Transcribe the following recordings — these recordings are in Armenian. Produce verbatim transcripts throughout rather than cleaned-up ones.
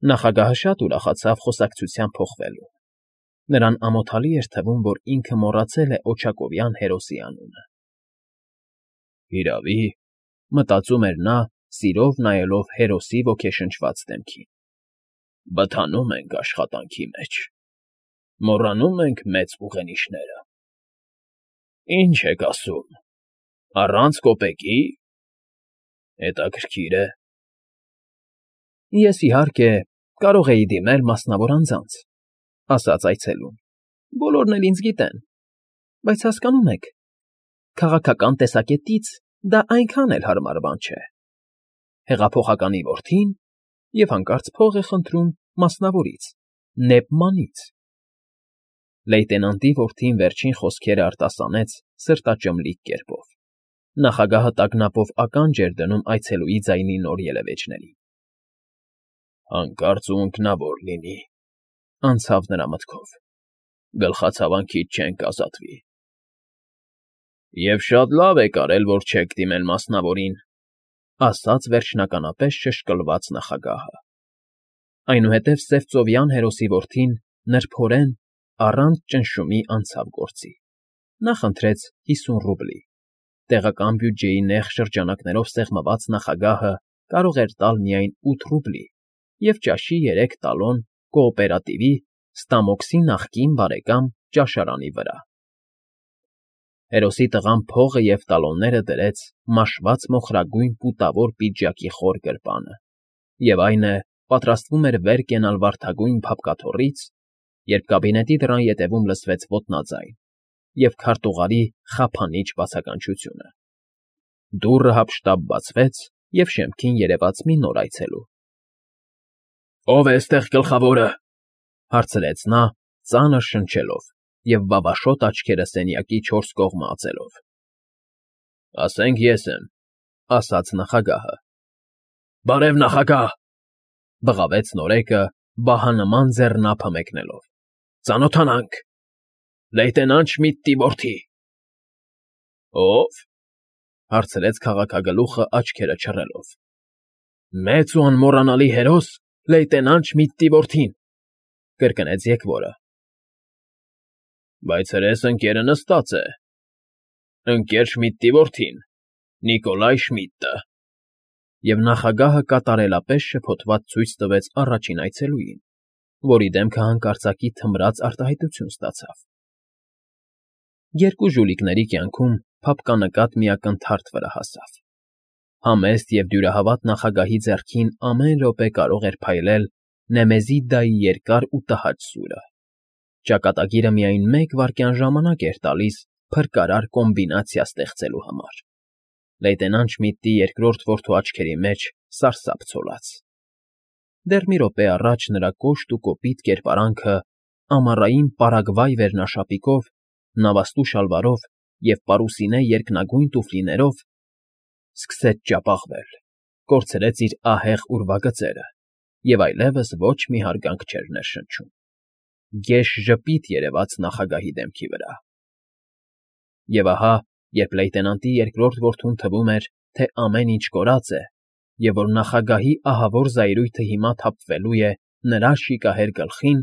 Նախագահը շատ ուրախացավ խոսակցության փոխվելուն. նրան ամոթալի էր թվում, որ ինքը մոռացել է օջակովյան հերոսի անունը։ «Հիրավի,֊ մտածում էր նա, սիրով նայելով հերոսի ոգեշնչված դեմքին,֊ բթանում ենք աշխատանքի մեջ, մոռանում ենք մեծ ուղենիշները։ Ի՞նչ եք ասում, առանց կոպեկի՞։ Հետաքրքիր է։ Ես, իհարկե, կարող էի դիմել մասնավոր անձանց,֊ ասաց այցելուն,֊ բոլորն էլ ինձ գիտեն, բայց հասկանո՞ւմ եք, քաղաքական տեսակետից դա այնքան էլ հարմար բան չէ։ Հեղափոխականի որդին և հանկարծ փող է խնդրում մասնավորից, Նեբմանից… Լեյտենանտի որդին վերջին խոսքերն արտասանեց սրտաճմլիկ կերպով. նախագահը տագնապով ականջ էր դնում այցելուի ձայնի նոր ելևէջներին։ «Հանկարծ ու ընկնավոր լինի,֊ անցավ նրա մտքով,֊ գլխացավանքից չենք ազատվի»։ «Եվ շատ լավ եք արել, որ չեք դիմել մասնավորին,֊ ասաց վերջնականապես շշկլված նախագահը։ Այնուհետև սև ծովյան հերոսի որդին նրբորեն, առանց ճնշումի անցավ գործի։ Նա խնդրեց հիսուն ռուբլի. տեղական բյուջեի նեղ շրջանակներով սեղմված նախագահը կարող էր տալ միայն ութ ռուբլի և ճաշի երեք տալոն կոոպերատիվի Ստամոքսի նախկին բարեկամ ճաշարանի վրա։ Հերոսի տղան փողը և տալոնները դրեց մաշված մոխրագույն պուտավոր պիջակի խոր գրպանը, և այն է, պատրաստվում էր վեր կենալ վարդագույն փափկաթոռից, երբ կաբինետի դռան ետևում լսվեց ոտնաձայն և քարտուղարի խափանիչ բացականչությունը։ Դուռը հափշտապ բացվեց, և շեմքին երևաց մի նոր այցելու։ «Ո՞վ է էստեղ գլխավորը,֊ հարցրեց նա, ծանր շնչելով և վավաշոտ աչքերը սենյակի չորս կողմը ածելով։ «Ասենք ես եմ,֊ ասաց նախագահը։ Բարև, նախագահ,֊ բղավեց նորեկը, բահանման ձեռնափը մեկնելով,֊ ծանոթանանք… Լեյտենանտ Շմիդտի որդի…»։ «Ո՞վ,֊ հարցրեց քաղաքագլուխը աչքերը չռելով։ «Մեծ ու անմոռանալի հերոս լեյտենանտ Շմիդտի որդին…֊ կրկնեց եկվորը։ Բայց հրես ընկերը նստած է… Ընկեր Շմիդտի որդին, Նիկոլայ Շմիդտը…»։ Եվ նախագահը կատարելապես շփոթված ցույց տվեց առաջին այցելուին, որի դեմքը հանկարծակի թմրած արտահայտություն ստացավ։ Երկու ժուլիկների կյանքում փափկանկատ մի ակնթարթ վրա հասավ։ Համեստ և դյուրահավատ նախագահի ձեռքին ամեն րոպե կարող էր փայլել Նեմեզիդայի երկար ու տհաճ սուրը։ Ճակատագիրը միայն մեկ վայրկյան ժամանակ էր տալիս փրկարար կոմբինացիա ստեղծելու համար։ Լեյտենանտ Շմիդտի երկրորդ որդու աչքերի մեջ սարսափ ցոլած։ Դեռ մի րոպե առաջ նրա կոշտ ու կոպիտ կերպարանքը ամառային պարագվայ վերնաշապիկով, նավաստու շալվարով և պարուսինե երկնագույն տուֆլիներով սկսեց ճապաղվել, կորցրեց իր ահեղ ուրվագծերը և այլևս ոչ մի հարգանք չէր ներշնչում։ Գեշ ժպիտ երևաց նախագահի դեմքի վրա։ Եվ ահա, երբ լեյտենանտի երկրորդ որդուն թվում էր, թե ամեն ինչ կորած է, և որ նախագահի ահավոր զայրույթը հիմա թափվելու է նրա շիկահեր գլխին,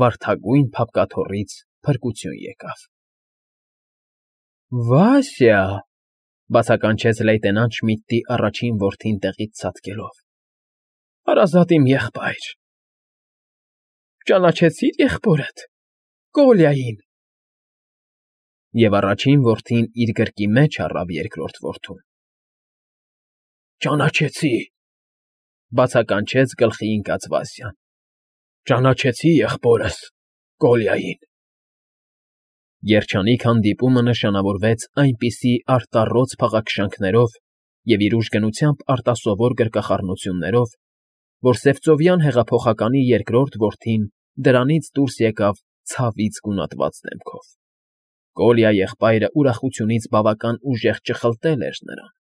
վարդագույն փափկաթոռից փրկություն եկավ։ ֊ Վասյա,֊ բացականչեց լեյտենանտ Շմիդտի առաջին որդին տեղից ցատկելով,֊ հարազատ իմ եղբայր… Ճանաչեցի՞ր եղբորդ, Կոլյային… Եվ առաջին որդին իր գրկի մեջ առավ երկրորդ որդուն։ ֊ Ճանաչեցի,֊ բացականչեց գլխի ընկած Վասյան,֊ ճանաչեցի եղբորս, Կոլյային… Երջանիկ հանդիպումը նշանավորվեց այնպիսի արտառոց փաղաքշանքներով և իր ուժգնությամբ արտասովոր գրկախառնություններով, որ սևծովյան հեղափոխականի երկրորդ որդին դրանից դուրս եկավ ցավից գունատված դեմքով։ Կոլյա եղբայրը ուրախությունից բավական ուժեղ ճխլտել էր նրան։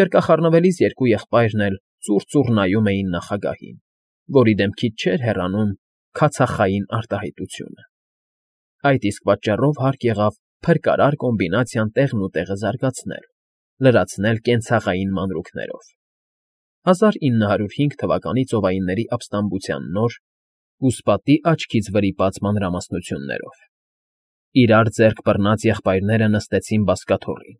Գրկախառնվելիս երկու եղբայրն էլ ծուռ֊ծուռ նայում էին նախագահին, որի դեմքից չէր հեռանում քացախային արտահայտությունը։ Այդ իսկ պատճառով հարկ եղավ փրկարար կոմբինացիան տեղնուտեղը զարգացնել, լրացնել կենցաղային մանրուքներով։ հազար ինը հարյուր հինգ թվականի ծովայինների ապստամբության նոր, կուսպատի աչքից վրիպած մանրամասնություններով։ Իրար ձեռք բռնած եղբայրները նստեցին բազկաթոռին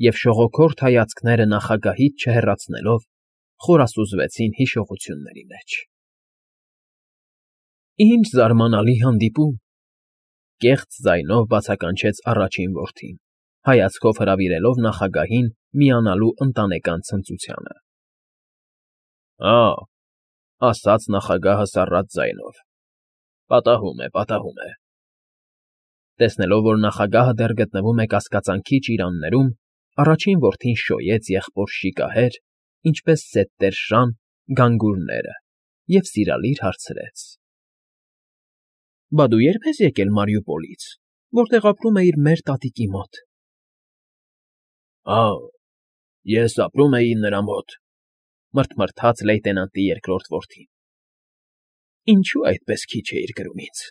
և շողոքորթ հայացքները նախագահից չհեռացնելով խորասուզվեցին հիշողությունների մեջ։ Ինչ զարմանալի հանդիպում,֊ կեղծ ձայնով բացականչեց առաջին որդին, հայացքով հրավիրելով նախագահին միանալու ընտանեկան ցնծությանը։ Ա՛,֊ ասաց նախագահը սառած ձայնով,֊ պատահում է, պատահում է… Տեսնելով, որ նախագահը դեռ գտնվում է կասկածանքի ճիրաններում, առաջին որդին շոյեց եղբոր շիկահեր, ինչպես սեթտեր շան, գանգուրները և սիրալիր հարցրեց. Բա դու ե՞րբ ես եկել Մարիուպոլից, որտեղ ապրում էիր մեր տատիկի մոտ։ Ա՛, ես ապրում էի նրա մոտ,֊ մռթմռթաց լեյտենանտի երկրորդ որդին։ Ինչո՞ւ այդպես քիչ էիր կրում ինձ…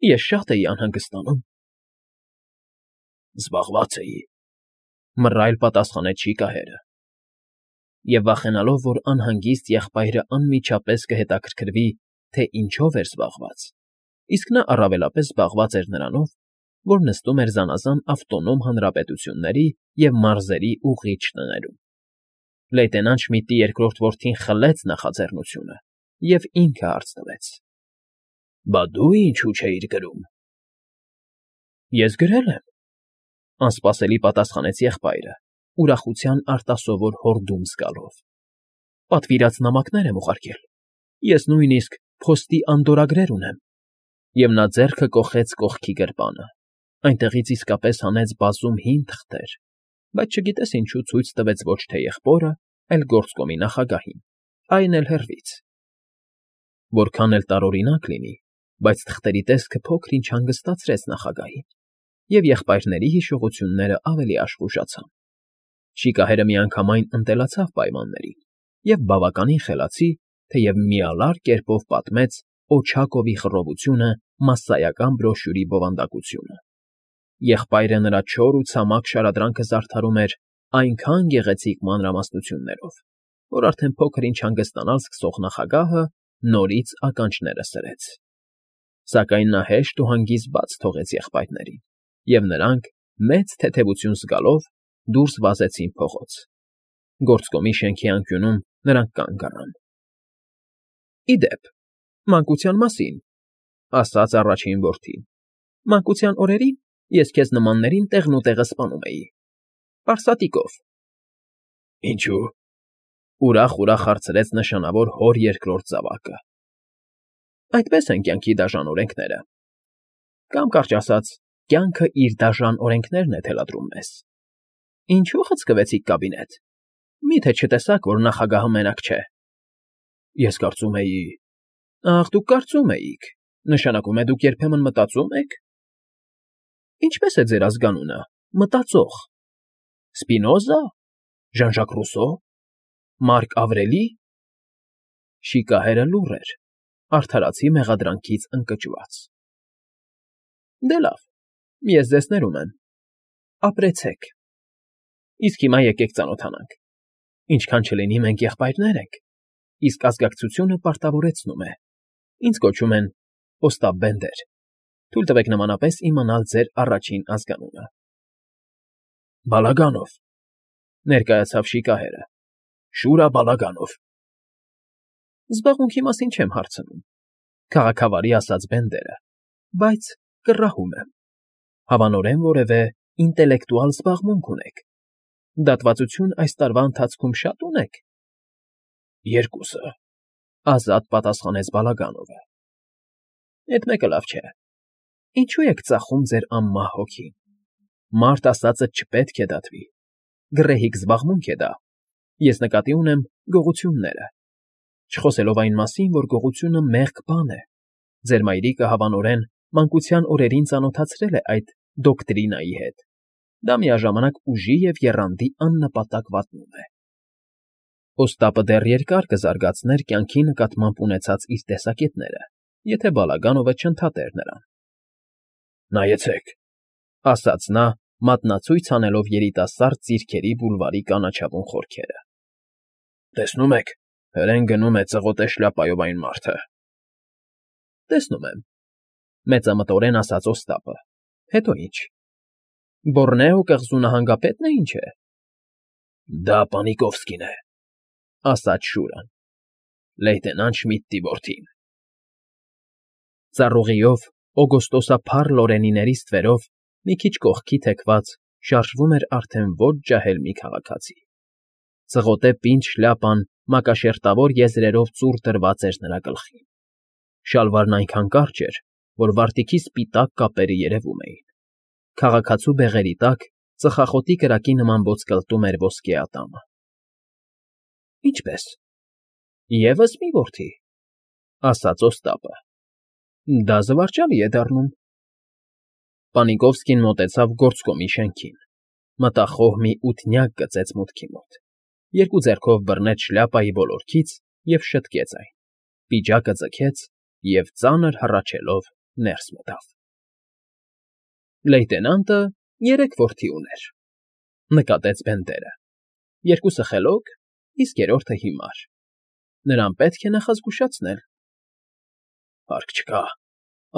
Ես շատ էի անհանգստանում։ Զբաղված էի,֊ մռայլ պատասխանեց շիկահերը։ Եվ վախենալով, որ անհանգիստ եղբայրը անմիջապես կհետաքրքրվի, թե ինչով էր զբաղված, իսկ նա առավելապես զբաղված էր նրանով, որ նստում էր զանազան ավտոնոմ հանրապետությունների և մարզերի ուղղիչ տներում, լեյտենանտ Շմիդտի երկրորդ որդին խլեց նախաձեռնությունը և ինքը հարց տվեց. Բա դու ինչո՞ւ չէիր գրում։ Ես գրել եմ,֊ անսպասելի պատասխանեց եղբայրը, ուրախության արտասովոր հորդում զգալով։ Պատվիրած նամակներ եմ ուղարկել, ես նույնիսկ փոստի անդորրագրեր ունեմ։ Եվ նա ձեռքը կոխեց կողքի գրպանը, այնտեղից իսկապես հանեց բազում հին թղթեր, բայց չգիտես ինչու ցույց տվեց ոչ թե եղբորը, այլ գործկոմի նախագահին, այն էլ հեռվից։ Որքան էլ տարօրինակ լինի, բայց թղթերի տեսքը փոքր֊ինչ հանգստացրեց նախագահին, և եղբայրների հիշողությունները ավելի աշխուժացան։ Շիկահերը միանգամայն ընտելացավ պայմաններին և բավականին խելացի, թեև միալար կերպով պատմեց Օչակովի խռովությունը մասսայական բրոշյուրի բովանդակությունը։ Եղբայրը նրա չոր ու ցամաք շարադրանքը զարդարում էր այնքան գեղեցիկ մանրամասնություններով, որ արդեն փոքր֊ինչ հանգստանալ սկսող նախագահը նորից ականջները սրեց։ Սակայն նա հեշտ ու հանգիստ բաց թողեց եղբայրներին, և նրանք, մեծ թեթևություն զգալով, դուրս վազեցին փողոց։ Գործկոմի շենքի անկյունում նրանք կանգ առան։ Ի դեպ, մանկության մասին,֊ ասաց առաջին որդին,֊ մանկության օրերին ես քեզ նմաններին տեղնուտեղը սպանում էի… պարսատիկով։ Ինչո՞ւ,֊ ուրախ֊ուրախ հարցրեց նշանավոր հոր երկրորդ զավակը։ Այդպես են կյանքի դաժան օրենքները… Կամ, կարճ ասած, կյանքը իր դաժան օրենքներն է թելադրում մեզ… Ինչո՞ւ խցկվեցիք կաբինետ… Մի՞թե չտեսաք, որ նախագահը մենակ չէ։ Ես կարծում էի… Ախ, դուք կարծում էիք… Նշանակում է դուք երբեմն մտածո՞ւմ եք… Ինչպե՞ս է ձեր ազգանունը, Մտածող… Սպինոզա՞, Ժան֊Ժակ Ռուսո՞, Մարկ Ավրելի… Շիկահերը լուռ էր, արդարացի մեղադրանքից ընկճված։ Դե լավ, ես ձեզ ներում եմ… Ապրեցեք… Իսկ հիմա եկեք ծանոթանանք… Ինչքան չլինի մենք եղբայրներ ենք, իսկ ազգակցությունը պարտավորեցնում է… Ինձ կոչում են Օստապ Բենդեր, թույլ տվեք նմանապես իմանալ ձեր առաջին ազգանունը։ Բալագանով,֊ ներկայացավ շիկահերը,֊ Շուրա Բալագանով։ Զբաղմունքի մասին չեմ հարցնում,֊ քաղաքավարի ասաց Բենդերը,֊ բայց կռահում եմ… Հավանորեն որևէ ինտելեկտուալ զբաղմունք ունեք… Դատվածություն այս տարվա ընթացքում շա՞տ ունեք։ Երկուսը,֊ ազատ պատասխանեց Բալագանովը։ Էդ մեկը լավ չէ… Ինչո՞ւ եք ծախում ձեր անմահ հոգին… Մարդ ասածը չպետք է դատվի… Գռեհիկ զբաղմունք է դա… Ես նկատի ունեմ գողությունները… Չխոսելով այն մասին, որ գողությունը մեղք բան է… Ձեր մայրիկը, հավանորեն, մանկության օրերին ծանոթացրել է այդ դոկտրինայի հետ… Դա միաժամանակ ուժի և եռանդի աննպատակ վատնում է… Օստապը դեռ երկար կզարգացներ կյանքի նկատմամբ ունեցած իր տեսակետները, եթե Բալագանովը չընդհատեր նրան։ Նայեցեք,֊ ասաց նա, մատնացույց անելով երիտասարդ ձիրքերի բուլվարի կանաչավուն խորքերը։ Տեսնում եք, հրեն գնում է ծղոտե շլապայով այն մարդը։ ֊ Տեսնում եմ,֊ մեծամտորեն ասաց Օստապը։֊ Հետո ի՞նչ։ Բոռնեո կղզու նահանգապե՞տն է, ինչ է։ ֊ Դա Պանիկովսկին է,֊ ասաց Շուրան,֊ լեյտենանտ Շմիդտի որդին։ Ծառուղիով, օգոստոսափառ լորենիների ստվերով մի քիչ կողքի թեքված շարժվում էր արդեն ոչ ջահել մի քաղաքացի։ Ծղոտե պինդ շլյապան մակաշերտավոր եզրերով ծուռ դրված էր նրա գլխին։ Շալվարն այնքան կարճ էր, որ վարտիքի սպիտակ կապերը երևում էին։ Քաղաքացու բեղերի տակ ծխախոտի կրակի նման ոսկլտում էր ոսկե ատամը։ ֊ Ինչպե՞ս, ևս մի որդի,֊ ասաց Օստապը։֊ Դա զվարճալի է դառնում։ Պանիկովսկին մոտեցավ գործկոմի շենքին, մտախոհ մի ութնյակ գծեց մուտքի մոտ, երկու ձեռքով բռնեց շլյապայի ոլորքից և շտկեց այն, պիջակը ձգեց և ծանր հառաչելով ներս մտավ։ Լեյտենանտը երեք որդի ուներ,֊ նկատեց Բենդերը,֊ երկուսը խելոք, իսկ երրորդը հիմար. նրան պետք է նախազգուշացնել։ ֊ Հարկ չկա,֊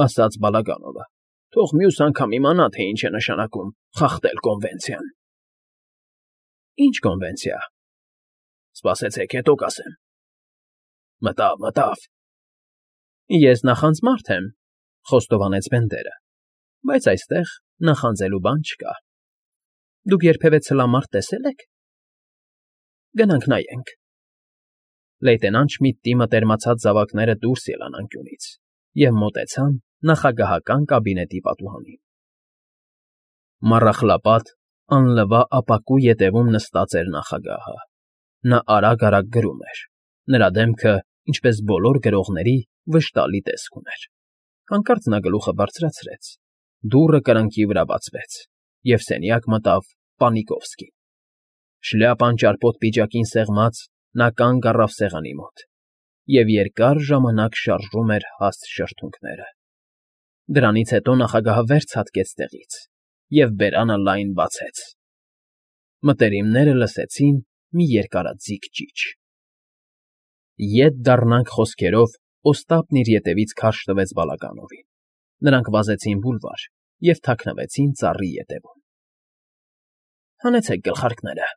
ասաց Բալագանովը,֊ թող մյուս անգամ իմանա, թե ինչ է նշանակում խախտել կոնվենցիան։ ֊ Ի՞նչ կոնվենցիա։ ֊ Սպասեցեք, հետո կասեմ։ Մտավ, մտավ։ ֊ Ես նախանձ մարդ եմ,֊ խոստովանեց Բենդերը,֊ բայց այստեղ նախանձելու բան չկա։ Դուք երբևէ ցլամարդ տեսե՞լ եք։ ֊ Գնանք նայենք։ Լեյտենանտ Շմիդտի մտերմացած զավակները դուրս ելան անկյունից և մոտեցան նախագահական կաբինետի պատուհանին։ Մառախլապատ, անլվա ապակու ետևում նստած էր նախագահը։ Նա արագ֊արագ գրում էր։ Նրա դեմքը, ինչպես բոլոր գրողների, վշտալի տեսք ուներ։ Հանկարծ նա գլուխը բարձրացրեց, դուռը կրկնակի վրա բացվեց, և սենյակ մտավ Պանիկովսկին։ Շլյապան ճարպոտ պիջակին սեղմած՝ նա կանգ առավ սեղանի մոտ և երկար ժամանակ շարժում էր հաստ շրթունքները։ Դրանից հետո նախագահը վեր ցատկեց տեղից և բերանը լայն բացեց։ Մտերիմները լսեցին մի երկարաձիգ ճիչ։ «Ետ դառնանք» խոսքերով Օստապն իր ետևից քարշ տվեց Բալագանովին։ Նրանք վազեցին բուլվար և թաքնվեցին ծառի ետևում։ ֊ Հանեցեք գլխարկները,֊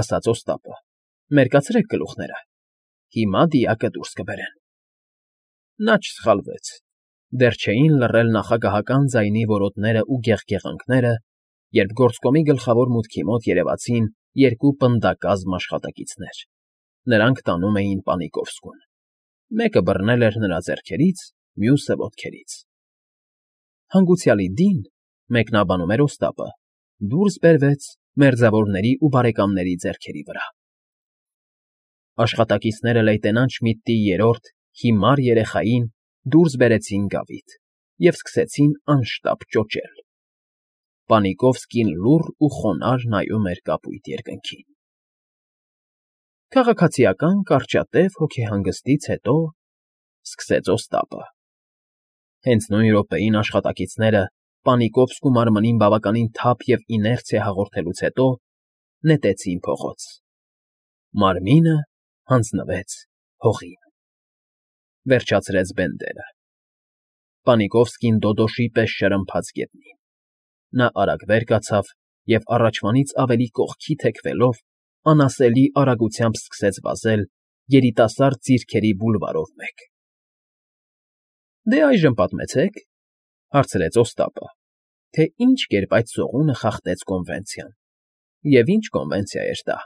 ասաց Օստապը,֊ մերկացրեք գլուխները, հիմա դիակը դուրս կբերեն։ Նա չսխալվեց։ Դեռ չէին լռել նախագահական ձայնի որոտներն ու գեղգեղանքները, երբ գործկոմի գլխավոր մուտքի մոտ երևացին երկու պնդակազմ աշխատակիցներ. նրանք տանում էին Պանիկովսկուն։ Մեկը բռնել էր նրա ձեռքերից, մյուսը՝ ոտքերից։ Հանգուցյալի Դին, մեկնաբանում էր Օստապը, դուրս բերվեց մերձավորների ու բարեկամների ձեռքերի վրա։ Աշխատակիցները լեյտենանտ Շմիդտի երրորդ, հիմար երեխային դուրս բերեցին գավիթ և սկսեցին անշտապ ճոճել։ Պանիկովսկին լուռ ու խոնարհ նայում էր կապույտ երկնքին։ Քաղաքացիական կարճատև հոգեհանգստից հետո,֊ սկսեց Օստապը։ Հենց նույն րոպեին աշխատակիցները, Պանիկովսկու մարմնին բավականին թափ և իներցիա հաղորդելուց հետո, նետեցին փողոց։ Մարմինը հանձնվեց հողին,֊ վերջացրեց Բենդերը։ Պանիկովսկին դոդոշի պես շրմփաց գետնին։ Նա արագ վեր կացավ և առաջվանից ավելի կողքի թեքվելով, անասելի արագությամբ սկսեց վազել երիտասարդ ձիրքերի բուլվարով մեկ։ ֊ Դե այժմ պատմեցեք,֊ հարցրեց Օստապը,֊ թե ինչ կերպ այդ սողունը խախտեց կոնվենցիան և ինչ կոնվենցիա էր դա։